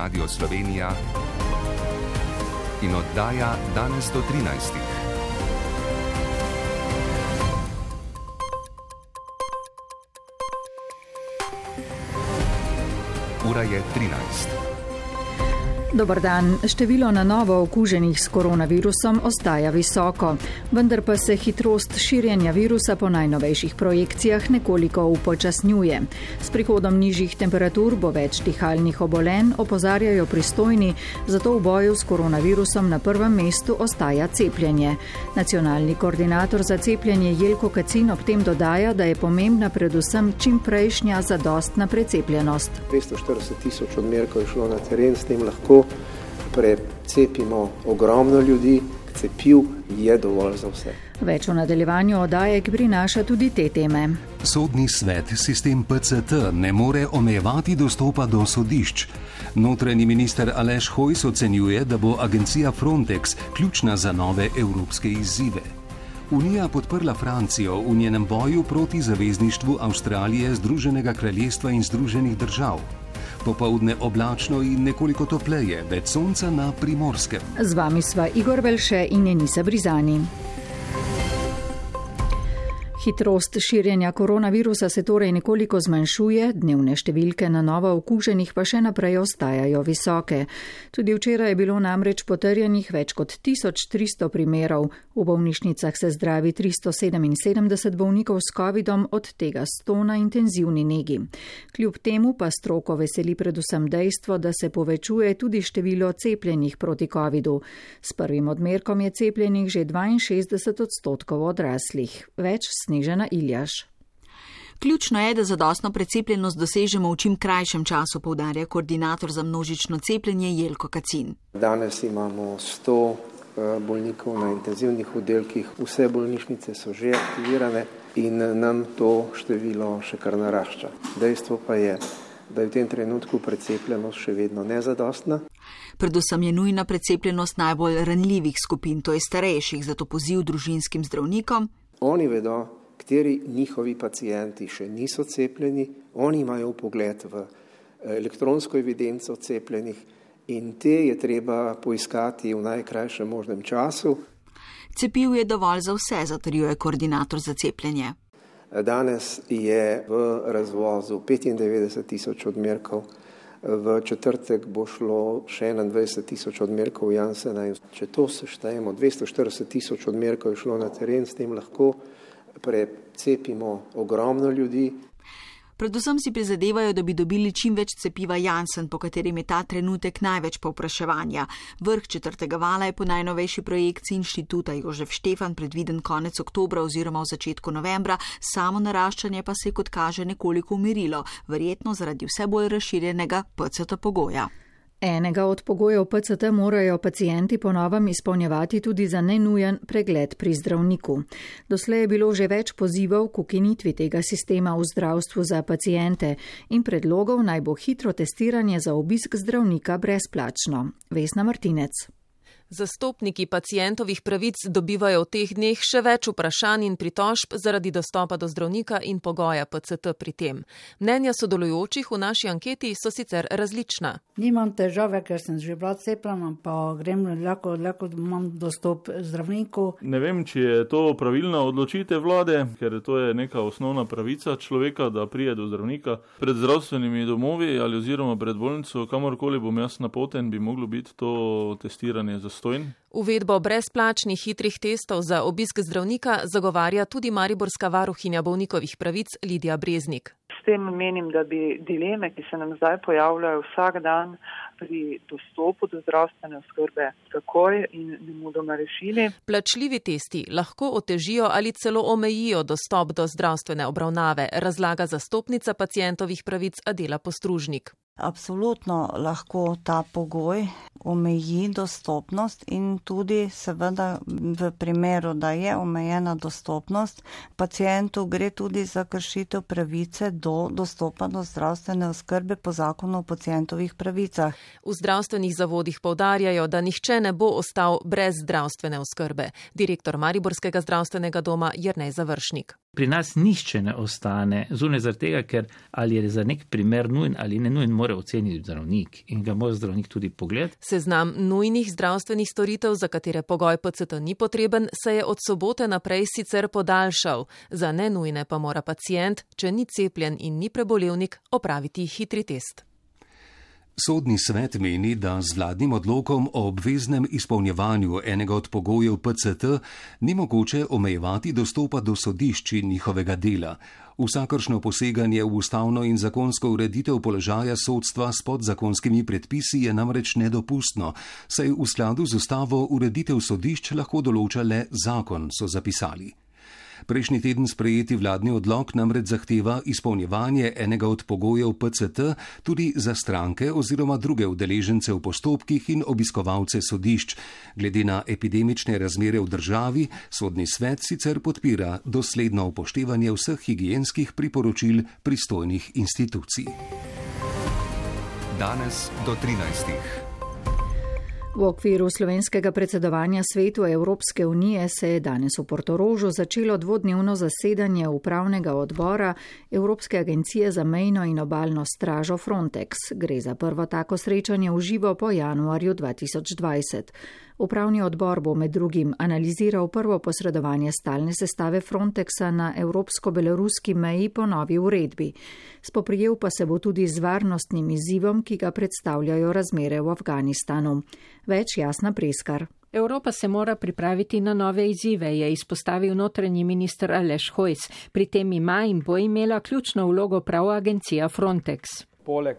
Radio Slovenija in oddaja Danes do 13. Ura je 13. Dobar dan. Število na novo okuženih s koronavirusom ostaja visoko, vendar pa se hitrost širjenja virusa po najnovejših projekcijah nekoliko upočasnjuje. S prihodom nižjih temperatur bo več dihalnih obolenj, opozarjajo pristojni, zato v boju s koronavirusom na prvem mestu ostaja cepljenje. Nacionalni koordinator za cepljenje Jelko Kacin ob tem dodaja, da je pomembna predvsem čimprejšnja zadostna precepljenost. 240.000 odmerkov je šlo na teren, s tem lahko precepimo ogromno ljudi, cepiv je dovolj za vse. Več v nadaljevanju oddaje, ki prinaša tudi te teme. Sodni svet sistem PCT ne more omejevati dostopa do sodišč. Notranji minister Aleš Hojs ocenjuje, da bo agencija Frontex ključna za nove evropske izzive. Unija podprla Francijo v njenem boju proti zavezništvu Avstralije, Združenega kraljestva in Združenih držav. Popoldne oblačno in nekoliko topleje, več sonca na Primorskem. Z vami sva Igor Velše in Enisa Brizani. Hitrost širjenja koronavirusa se torej nekoliko zmanjšuje, dnevne številke na novo okuženih pa še naprej ostajajo visoke. Tudi včeraj je bilo namreč potrjenih več kot 1300 primerov. V bolnišnicah se zdravi 377 bolnikov s covidom, od tega 100 na intenzivni negi. Kljub temu pa stroko veseli predvsem dejstvo, da se povečuje tudi število cepljenih proti covidu. S prvim odmerkom je cepljenih že 62% odraslih. Več Snežana Iljaš. Ključno je, da zadostno precepljenost dosežemo v čim krajšem času, poudarja koordinator za množično cepljenje Jelko Kacin. Danes imamo 100 bolnikov na intenzivnih oddelkih, vse bolnišnice so že aktivirane in nam to število še kar narašča. Dejstvo pa je, da je v tem trenutku precepljenost še vedno nezadostna. Predvsem je nujna precepljenost najbolj ranljivih skupin, to je starejših, zato poziv družinskim zdravnikom. Oni vedo, kateri njihovi pacienti še niso cepljeni, oni imajo vpogled v elektronsko evidenco cepljenih in te je treba poiskati v najkrajšem možnem času. Cepiv je dovolj za vse, zatrjuje koordinator za cepljenje. Danes je v razvozu 95.000 odmerkov, v četrtek bo šlo še 21.000 odmerkov Janssena in če to seštejemo, 240.000 odmerkov je šlo na teren, s tem lahko precepimo ogromno ljudi. Predvsem si prizadevajo, da bi dobili čim več cepiva Janssen, po katerem je ta trenutek največ povpraševanja. Vrh četrtega vala je po najnovejši projekciji inštituta Jožef Štefan predviden konec oktobra oziroma v začetku novembra, samo naraščanje pa se je, kot kaže, nekoliko umirilo, verjetno zaradi vse bolj razširjenega PCT pogoja. Enega od pogojev PCT morajo pacienti po novem izpolnjevati tudi za nenujen pregled pri zdravniku. Doslej je bilo že več pozivov k ukinitvi tega sistema v zdravstvu za paciente in predlogov naj bo hitro testiranje za obisk zdravnika brezplačno. Vesna Martinec. Zastopniki pacientovih pravic dobivajo v teh dneh še več vprašanj in pritožb zaradi dostopa do zdravnika in pogoja PCT pri tem. Mnenja sodelujočih v naši anketi so sicer različna. Nimam težave, ker sem že bila cepljena, pa grem lahko imam dostop zdravniku. Ne vem, či je to pravilna odločitev vlade, ker to je neka osnovna pravica človeka, da prije do zdravnika. Pred zdravstvenimi domovi ali oziroma pred bolnico, kamorkoli bom jaz napoten, bi moglo biti to testiranje za Uvedbo brezplačnih hitrih testov za obisk zdravnika zagovarja tudi mariborska varuhinja bolnikovih pravic Lidija Breznik. S tem menim, da bi dileme, ki se nam zdaj pojavljajo vsak dan pri dostopu do zdravstvene oskrbe, takoj in nemudoma rešili. Plačljivi testi lahko otežijo ali celo omejijo dostop do zdravstvene obravnave, razlaga zastopnica pacientovih pravic Adela Postružnik. Absolutno lahko ta pogoj omeji dostopnost in tudi seveda v primeru, da je omejena dostopnost, pacientu gre tudi za kršitev pravice do dostopa do zdravstvene oskrbe po zakonu o pacientovih pravicah. V zdravstvenih zavodih poudarjajo, da nihče ne bo ostal brez zdravstvene oskrbe. Direktor Mariborskega zdravstvenega doma Jernej Završnik. Pri nas nihče ne ostane zunaj zaradi tega, ker ali je za nek primer nujen ali ne nujen, mora oceniti zdravnik in ga mora zdravnik tudi pogledati. Seznam nujnih zdravstvenih storitev, za katere pogoj PCT ni potreben, se je od sobote naprej sicer podaljšal. Za nenujne pa mora pacient, če ni cepljen in ni prebolevnik, opraviti hitri test. Sodni svet meni, da z vladnim odlokom o obveznem izpolnjevanju enega od pogojev PCT ni mogoče omejevati dostopa do sodišč in njihovega dela. Vsakršno poseganje v ustavno in zakonsko ureditev položaja sodstva s podzakonskimi predpisi je namreč nedopustno, saj v skladu z ustavo ureditev sodišč lahko določa le zakon, so zapisali. Prejšnji teden sprejeti vladni odlok namreč zahteva izpolnjevanje enega od pogojev PCT tudi za stranke oziroma druge udeležence v postopkih in obiskovalce sodišč. Glede na epidemične razmere v državi, sodni svet sicer podpira dosledno upoštevanje vseh higienskih priporočil pristojnih institucij. Danes do 13. V okviru slovenskega predsedovanja svetu Evropske unije se je danes v Portorožu začelo dvodnevno zasedanje upravnega odbora Evropske agencije za mejno in obalno stražo Frontex. Gre za prvo tako srečanje v živo po januarju 2020. Upravni odbor bo med drugim analiziral prvo posredovanje stalne sestave Frontexa na evropsko-beloruski meji po novi uredbi. Spoprijel pa se bo tudi z varnostnim izzivom, ki ga predstavljajo razmere v Afganistanu. Več Jasna Preskar. Evropa se mora pripraviti na nove izzive, je izpostavil notranji minister Aleš Hojs. Pri tem ima in bo imela ključno vlogo prav agencija Frontex. Poleg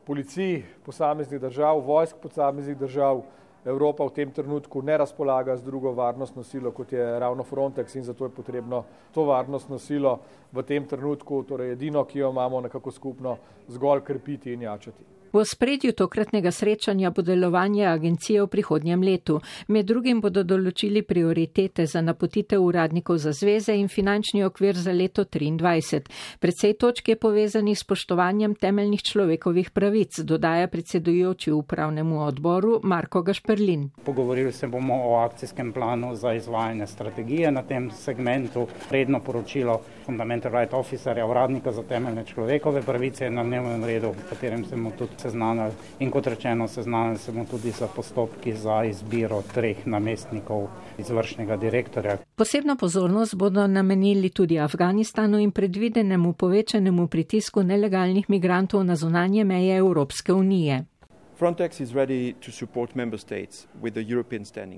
policij posameznih držav, vojsk posameznih držav, Evropa v tem trenutku ne razpolaga z drugo varnostno silo, kot je ravno Frontex, in zato je potrebno to varnostno silo v tem trenutku, torej edino, ki jo imamo nekako skupno, zgolj krepiti in jačati. V ospredju tokratnega srečanja bo delovanje agencije v prihodnjem letu. Med drugim bodo določili prioritete za napotitev uradnikov za zveze in finančni okvir za leto 2023. Precej točk je povezanih s spoštovanjem temeljnih človekovih pravic, dodaja predsedujoči upravnemu odboru Marko Gašperlin. Pogovorili se bomo o akcijskem planu za izvajanje strategije na tem segmentu. Redno poročilo Fundamental Right Officerja, uradnika za temeljne človekove pravice, na dnevnem redu, v katerem se bomo tudi seznanili. In kot rečeno, seznanili se bomo tudi za postopki za izbiro 3 namestnikov izvršnega direktorja. Posebno pozornost bodo namenili tudi Afganistanu in predvidenemu povečanemu pritisku nelegalnih migrantov na zunanje meje Evropske unije.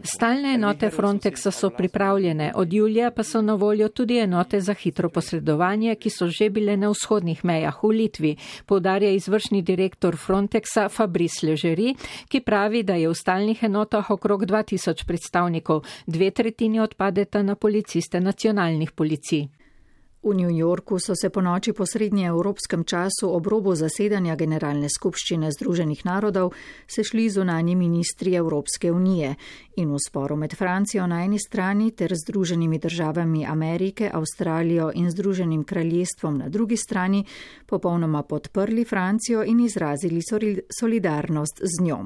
Stalne enote Frontexa so pripravljene, od julija pa so na voljo tudi enote za hitro posredovanje, ki so že bile na vzhodnih mejah v Litvi, poudarja izvršni direktor Frontexa Fabrice Leggeri, ki pravi, da je v stalnih enotah okrog 2000 predstavnikov, 2/3 odpadeta na policiste nacionalnih policij. V New Yorku so se po noči po srednjeevropskem času ob robu zasedanja Generalne skupščine Združenih narodov sešli zunanji ministri Evropske unije in v sporu med Francijo na eni strani ter Združenimi državami Amerike, Avstralijo in Združenim kraljestvom na drugi strani popolnoma podprli Francijo in izrazili solidarnost z njo.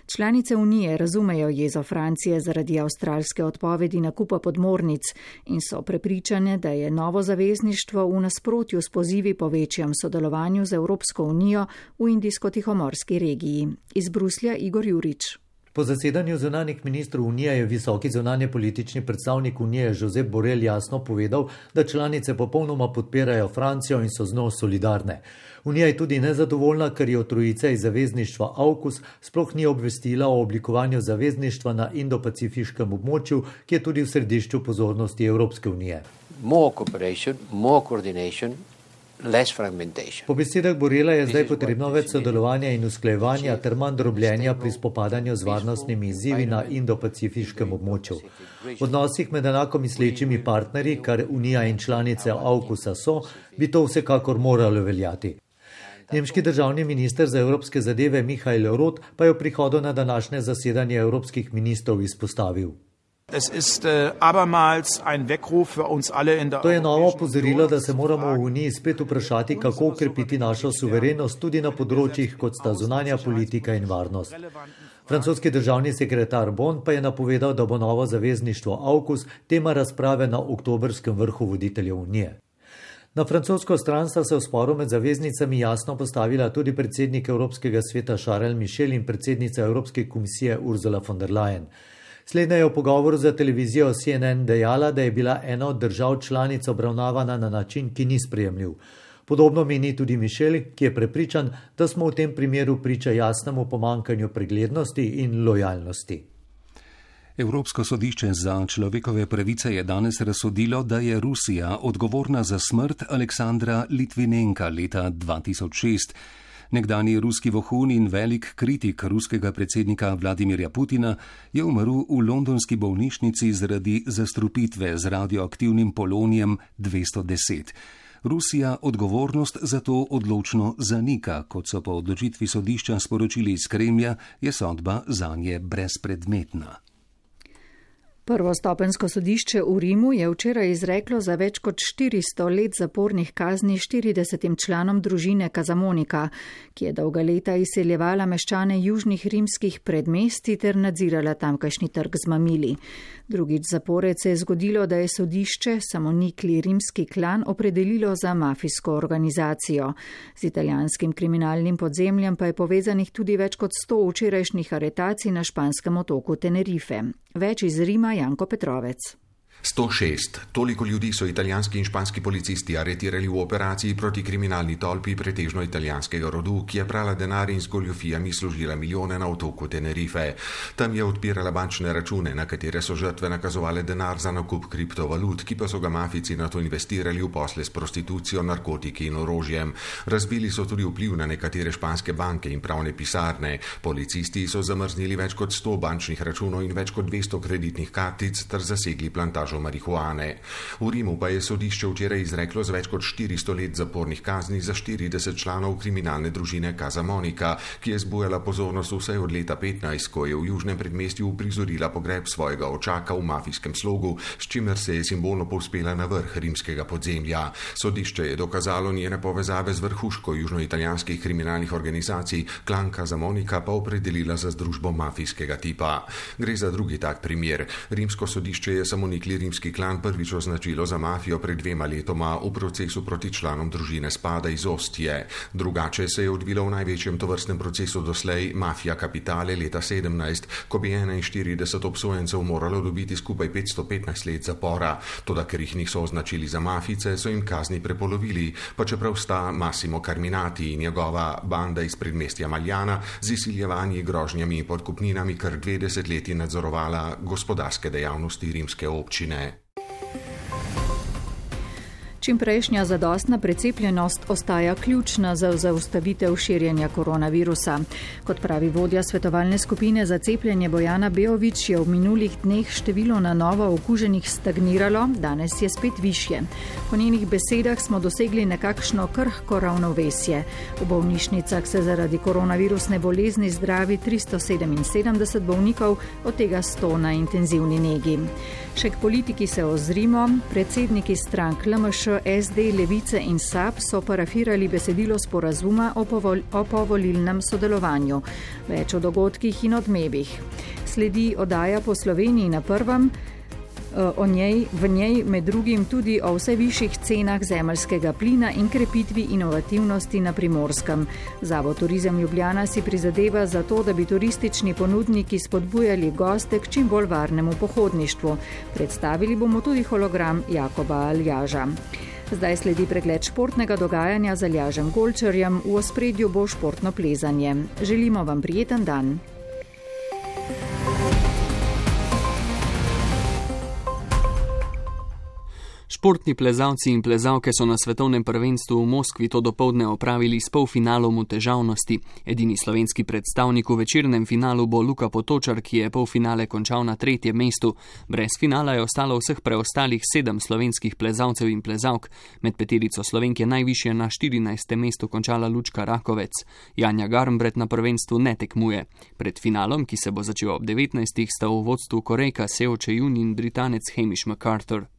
Članice unije razumejo jezo Francije zaradi avstralske odpovedi nakupa podmornic in so prepričane, da je novo zavezništvo v nasprotju s pozivi po večjem sodelovanju z Evropsko unijo v Indijsko-Tihomorski regiji. Iz Bruslja Igor Jurič. Po zasedanju zunanjih ministrov Unije je visoki zunanje politični predstavnik Unije Josep Borrell jasno povedal, da članice popolnoma podpirajo Francijo in so z njo solidarne. Unija je tudi nezadovoljna, ker je trojica iz zavezništva AUKUS sploh ni obvestila o oblikovanju zavezništva na Indo-Pacifiškem območju, ki je tudi v središču pozornosti Evropske unije. More cooperation, more coordination. Po besedah Borrella je zdaj potrebno več sodelovanja in usklajevanja ter manj drobljenja pri spopadanju z varnostnimi izzivi na Indo-Pacifiškem območju. V odnosih med enako mislečimi partnerji, kar Unija in članice AUKUS-a so, bi to vsekakor moralo veljati. Nemški državni minister za evropske zadeve Michael Roth pa je v prihodu na današnje zasedanje evropskih ministrov izpostavil. To je novo opozorilo, da se moramo v Uniji spet vprašati, kako ukrepiti našo suverenost tudi na področjih, kot sta zunanja politika in varnost. Francoski državni sekretar Bon pa je napovedal, da bo novo zavezništvo AUKUS tema razprave na oktobrskem vrhu voditeljev Unije. Na francosko stran sta se v sporu med zaveznicami jasno postavila tudi predsednik Evropskega sveta Charles Michel in predsednica Evropske komisije Ursula von der Leyen. Slednja je v pogovoru za televizijo CNN dejala, da je bila ena od držav članic obravnavana na način, ki ni sprejemljiv. Podobno meni tudi Michel, ki je prepričan, da smo v tem primeru priča jasnemu pomankanju preglednosti in lojalnosti. Evropsko sodišče za človekove pravice je danes razsodilo, da je Rusija odgovorna za smrt Aleksandra Litvinenka leta 2006. Nekdanji ruski vohun in velik kritik ruskega predsednika Vladimirja Putina je umrl v londonski bolnišnici zaradi zastrupitve z radioaktivnim polonijem 210. Rusija odgovornost za to odločno zanika, kot so po odločitvi sodišča sporočili iz Kremlja, je sodba zanje brezpredmetna. Prvostopensko sodišče v Rimu je včeraj izreklo za več kot 400 let zapornih kazni 40 članom družine Casamonica, ki je dolga leta izseljevala meščane južnih rimskih predmestij ter nadzirala tamkajšnji trg z mamili. Drugič zapored se je zgodilo, da je sodišče samonikli rimski klan opredelilo za mafijsko organizacijo. Z italijanskim kriminalnim podzemljem pa je povezanih tudi več kot 100 včerajšnjih aretacij na španskem otoku Tenerife. Več iz Rima Janko Petrovec. 106. Toliko ljudi so italijanski in španski policisti aretirali v operaciji proti kriminalni tolpi pretežno italijanskega rodu, ki je prala denar in z goljufijami služila milijone na otoku Tenerife. Tam je odpirala bančne račune, na katere so žrtve nakazovale denar za nakup kriptovalut, ki pa so ga mafici na to investirali v posle s prostitucijo, narkotiki in orožjem. Razbili so tudi vpliv na nekatere španske banke in pravne pisarne. Policisti so zamrznili več kot 100 bančnih računov in več kot 200 kreditnih kartic ter zasegli plantažo marihuane. V Rimu pa je sodišče včeraj izreklo z več kot 400 let zapornih kazni za 40 članov kriminalne družine Casamonica, ki je zbujala pozornost vse od leta 15, ko je v južnem predmestju uprizorila pogreb svojega očaka v mafijskem slogu, s čimer se je simbolno povzpela na vrh rimskega podzemlja. Sodišče je dokazalo njene povezave z vrhuško južnoitalijanskih kriminalnih organizacij, klan Casamonica pa opredelila za združbo mafijskega tipa. Gre za drugi tak primer. Rimsko sodišče je samonikli rimski klan prvič označilo za mafijo pred 2 letoma v procesu proti članom družine Spada iz Ostije. Drugače se je odvilo v največjem tovrstnem procesu doslej Mafia Capitale leta 17, ko bi 41 obsojencev moralo dobiti skupaj 515 let zapora. Toda ker jih niso označili za mafice, so jim kazni prepolovili, pa čeprav sta Massimo Carminati in njegova banda iz predmestja Maljana z izsiljevanji, grožnjami in podkupninami kar 20 leti nadzorovala gospodarske dejavnosti rimske občine. Čimprejšnja zadostna precepljenost ostaja ključna za zaustavitev širjenja koronavirusa. Kot pravi vodja svetovalne skupine za cepljenje Bojana Beović, je v minulih dneh število na novo okuženih stagniralo, danes je spet višje. Po njenih besedah smo dosegli nekakšno krhko ravnovesje. V bolnišnicah se zaradi koronavirusne bolezni zdravi 377 bolnikov, od tega 100 na intenzivni negi. Še k politiki se ozrimo. Predsedniki strank LMŠ, SD, Levice in SAB so parafirali besedilo sporazuma o povolilnem sodelovanju. Več o dogodkih in odmevih. Sledi oddaja Po Sloveniji na prvem, v njej med drugim tudi o vse višjih cenah zemeljskega plina in krepitvi inovativnosti na Primorskem. Zavod Turizem Ljubljana si prizadeva za to, da bi turistični ponudniki spodbujali goste k čim bolj varnemu pohodništvu. Predstavili bomo tudi hologram Jakoba Aljaža. Zdaj sledi pregled športnega dogajanja z Aljažem Golčarjem, v ospredju bo športno plezanje. Želimo vam prijeten dan. Športni plezalci in plezalke so na svetovnem prvenstvu v Moskvi to dopoldne opravili s polfinalom v težavnosti. Edini slovenski predstavnik v večernem finalu bo Luka Potočar, ki je polfinale končal na 3. mestu. Brez finala je ostalo vseh preostalih 7 slovenskih plezalcev in plezalk. Med peterico Slovenke najvišje na 14. mestu končala Lučka Rakovec. Janja Garnbret na prvenstvu ne tekmuje. Pred finalom, ki se bo začel ob 19. sta v vodstvu Korejka Seo Che-jun in Britanec Hamish MacArthur.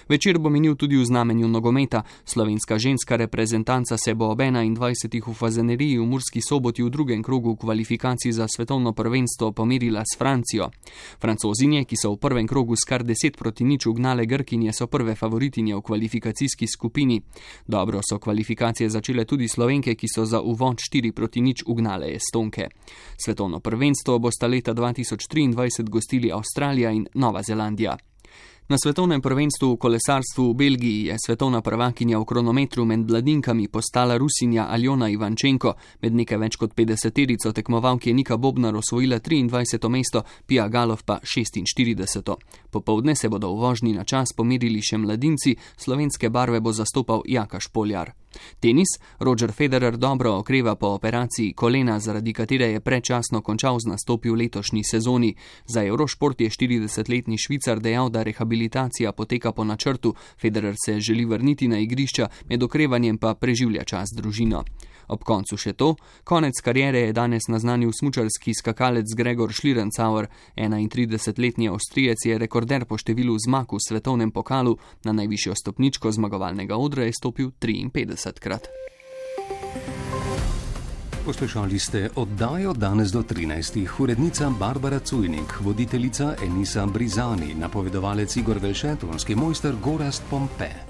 Večer bo minil tudi v znamenju nogometa. Slovenska ženska reprezentanca se bo ob 21. v Fazaneriji v Murski Soboti v drugem krogu kvalifikacij za svetovno prvenstvo pomerila s Francijo. Francozinje, ki so v prvem krogu s kar 10-0 ugnale Grkinje, so prve favoritinje v kvalifikacijski skupini. Dobro so kvalifikacije začele tudi Slovenke, ki so za uvod 4-0 ugnale Estonke. Svetovno prvenstvo bosta leta 2023 gostili Avstralija in Nova Zelandija. Na svetovnem prvenstvu v kolesarstvu v Belgiji je svetovna prvakinja v kronometru med mladinkami postala Rusinja Aljona Ivančenko. Med nekaj več kot 50-terico tekmovalk je Nika Bobnar osvojila 23. mesto, Pia Galov pa 46. Popovdne se bodo v vožnji na čas pomerili še mladinci, slovenske barve bo zastopal Jaka Špoljar. Tenis. Roger Federer dobro okreva po operaciji kolena, zaradi katere je predčasno končal z nastopi v letošnji sezoni. Za Eurošport je 40-letni Švicar dejal, da rehabilitacija poteka po načrtu. Federer se želi vrniti na igrišča, med okrevanjem pa preživlja čas z družino. Ob koncu še to. Konec kariere je danes naznanil smučarski skakalec Gregor Schlierencauer. 31-letni Avstrijec je rekorder po številu zmag v svetovnem pokalu. Na najvišjo stopničko zmagovalnega odra je stopil 53-krat. Poslušali ste oddajo Danes do 13. Urednica Barbara Cujnik, voditeljica Enisa Brizani, napovedovalec Igor Velšet, tonski mojster Gorazd Pompe.